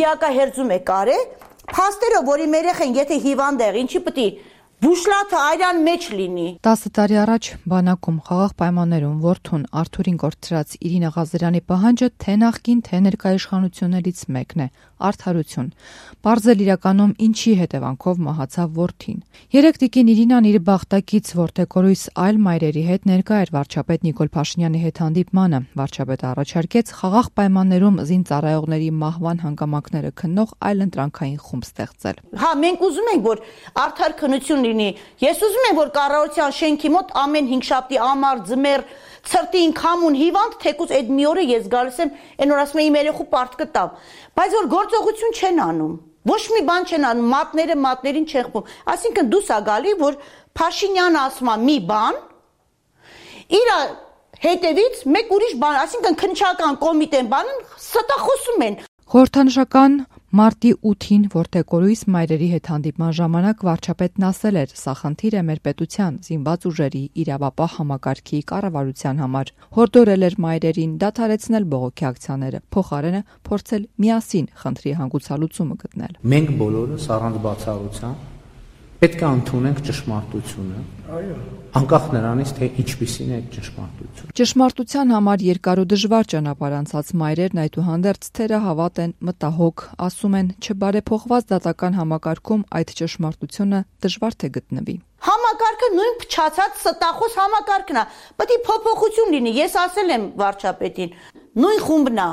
դիակահերձում է կարե, փաստերով, որի մեր երեխեն եթե հիվանդ է, ինչի պետք է բուշլաթը այրան մեջ լինի։ 10 տարի առաջ բանակում խաղաղ պայմաններում որդուն Արթուրին կորցրած Իրինա Ղազարյանի պահանջը թե նախկին, թե ներկա իշխանություններից մեկն է՝ արդարություն։ Պարզել իրականում ինչի հետևանքով մահացավ որդին։ Երեկ տիկին Իրինան իր բախտակից որդեկորույս այլ մայրերի հետ ներկա էր վարչապետ Նիկոլ Փաշինյանի հետ հանդիպմանը։ Վարչապետը առաջարկեց խաղաղ պայմաններում զինծառայողների մահվան հանգամանքները քննող այլընտրանքային խումբ ստեղծել։ Հա, մենք ուզում ենք, որ արդար քննություն լինի։ Ես ուզում եմ, որ կառավարության շենքի մոտ ամեն 5 շաբթի ամառ ձմեռ ցրտին քամուն հիվանդ, թեկուզ այդ մի օրը ես գալիս եմ, այն որ ասում եմ իմ երեխու պարտք կտամ, բայց որ գործողություն չեն անում։ Ոչ մի բան չեն անում, մատներին չեն խփում։ Այսինքն դուս ա գալի, որ Փաշինյանը ասում է մի բան, իր հետևից մեկ ուրիշ բան, այսինքն քննչական կոմիտեն բանն ստախոսում են։ Խորհրդանշական Մարտի 8-ին որդեկորույս մայրերի հետ հանդիպման ժամանակ վարչապետն ասել էր՝ սա խնդիր է մեր պետության զինված ուժերի իրավապահ համակարգի կառավարության համար։ Հորդորել էր մայրերին դադարեցնել բողոքի ակցիաները, փոխարենը փորձել միասին խնդրի հանգուցալուծումը գտնել։ Մենք բոլորս առանց բացառության պետք է ընդունենք ճշմարտությունը, անկախ նրանից, թե ինչպիսին է ճշմարտությունը։ Ճշմարտության համար երկար ու դժվար ճանապարհ անցած մայրերն այդուհանդերձ թերահավատ են, մտահոգ, ասում են, չբարեփոխված դատական համակարգում այդ ճշմարտությունը դժվար թե գտնվի։ Համակարգը նույն փչացած ստախոս համակարգն է։ Պետք է փոփոխություն լինի։ Ես ասել եմ վարչապետին, նույն խումբն է,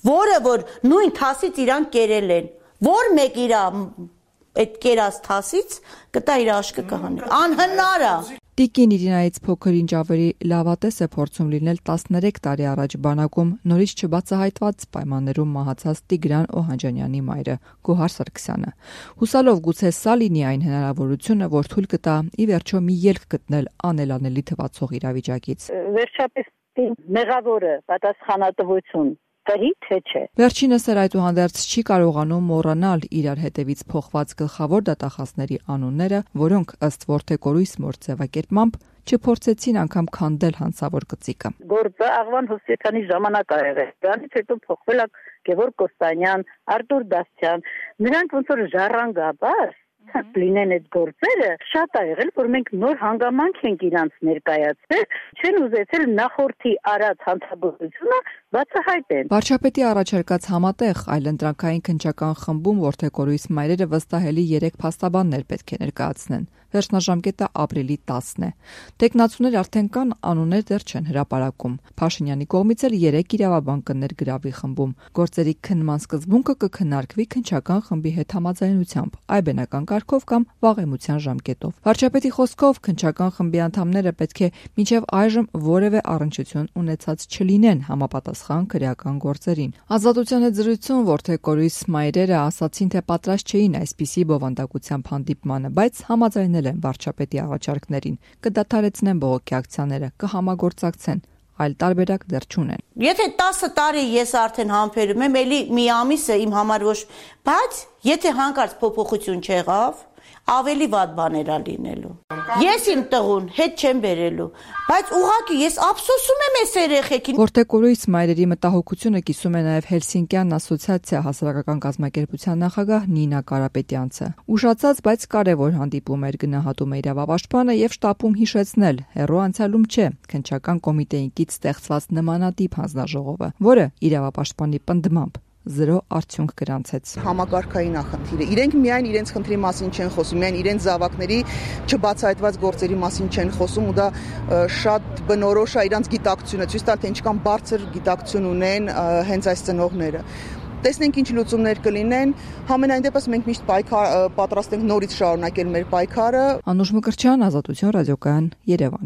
որը որ նույն թասից իրան կերել են, որ մեկ իր այդ կերած թասից կտա իր աշկը կհանի։ Անհնար է։ Տիկին Իրինայից փոքր ինչ ավելի լավատես է փորձում լինել 13 տարի առաջ բանակում նորից չբացահայտված պայմաններում մահացած Տիգրան Օհանջանյանի մայրը Գոհար Սարգսյանը։ Հուսալով գուցե սա լինի այն հնարավորությունը, որ թույլ կտա ի վերջո մի ելք գտնել անելանելի թվացող իրավիճակից։ Վերջապես մեղավորը պատասխանատվություն կրի, թե չէ։ Վերջինս էր այդուհանդերձ չի կարողանում մոռանալ իրար հետևից փոխված գլխավոր դատախազների անունները, որոնք ըստ որդեկորույս մոր ձևակերպմամբ չփորձեցին անգամ քանդել հանցավոր գծիկը։ Գործը Աղվան Հովսեփյանի ժամանակ ա եղել։ Դրանից հետո փոխվել է Գևորգ Կոստանյան, Արտուր Դասյան։ Նրանք ոնց որ ժառանգաբար լինեն այդ գործերը, շատ ա եղել, որ մենք նոր հանգամանք ենք իրանց ներկայացրել, չեն ուզեցել նախորդի արած հանցագործությունը բացահայտեն։ Վարչապետի առաջարկած համատեղ այլընտրանքային քննչական խմբում որդեկորույս մայրերը վստահելի 3 փաստաբաններ պետք է ներկայացնեն։ Վերջնաժամկետը ապրիլի 10-ն է։ Տեխնացուներ արդեն կան, անուններ դեռ չեն հրապարակում։ Փաշինյանի կողմից էլ 3 իրավաբան կներգրավի խմբում։ Գործերի քննման սկզբունքը կքննարկվի քննչական խմբի հետ համաձայնությամբ, այբենական կարգով կամ վաղեմության ժամկետով։ Վարչապետի խոսքով քննչական խմբի անդամները պետք է մինչև այժմ որևէ առնչություն ունեցած չլինեն համապատասխան քրեական գործերին։ Ազատության հետ զրույցում որդեկորույս մայրերը ասացին, թե պատրաստ չէին այսպիսի բովանդակությամբ հանդիպմանը, բայց համաձայնել են վարչապետի առաջարկներին, կդադարեցնեն բողոքի ակցիաները, կհամագործակցեն, այլ տարբերակ դեռ չունեն։ Եթե 10 տարի ես արդեն համբերում եմ, էլի մի ամիսը իմ համար ոչ, բայց եթե հանկարծ փոփոխություն չեղավ, ավելի վատ բաներ ա լինելու։ Ես իմ տղուն հետ չեմ բերելու, բայց ուղղակի ես ափսոսում եմ այս երեխեքին։ Որդեկորույս մայրերի մտահոգությունը կիսում է նաև Հելսինկյան ասոցիացիա հասարակական կազմակերպության նախագահ Նինա Կարապետյանցը։ Ուշացած, բայց կարևոր հանդիպում էր, գնահատում է իրավապաշտպանը եւ շտապում հիշեցնել, հեռու անցյալում չէ, քննչական կոմիտեին կից ստեղծված նմանատիպ հանձնաժողովը, որը իրավապաշտպանի պնդմամբ 0 արդյունք գրանցեց։ Համակարգային ախնդիրը։ Իրենք միայն իրենց խնդրի մասին չեն խոսում, միայն իրենց զավակների չբացահայտված գործերի մասին չեն խոսում ու դա շատ բնորոշ է իրանց գիտակցությունը, ցույց տալ թե ինչքան բարձր գիտակցություն ունեն հենց այս ծնողները։ Տեսնենք ինչ լուծումներ կլինեն, համենայն դեպս մենք միշտ պատրաստ ենք նորից շարունակել մեր պայքարը։ Անուշ Մկրտչյան, Ազատություն ռադիոկայան, Երևան։